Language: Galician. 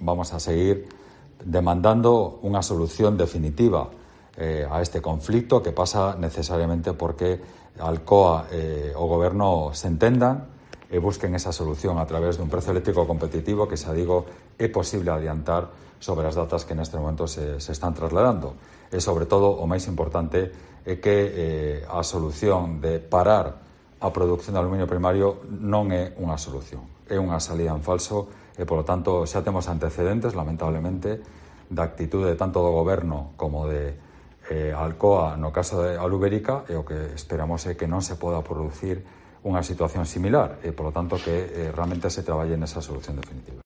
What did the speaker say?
vamos a seguir demandando unha solución definitiva a este conflito, que pasa necesariamente porque Alcoa e o Goberno se entendan e busquen esa solución a través dun prezo eléctrico competitivo que, xa digo, é posible adiantar sobre as datas que neste momento se están trasladando. E, sobre todo, o máis importante é que a solución de parar a produción de aluminio primario non é unha solución, é unha salida en falso e, polo tanto, xa temos antecedentes, lamentablemente, da actitude tanto do Goberno como de Alcoa no caso de Alubérica, e o que esperamos é que non se poda producir unha situación similar e, polo tanto, que realmente se traballe nesa solución definitiva.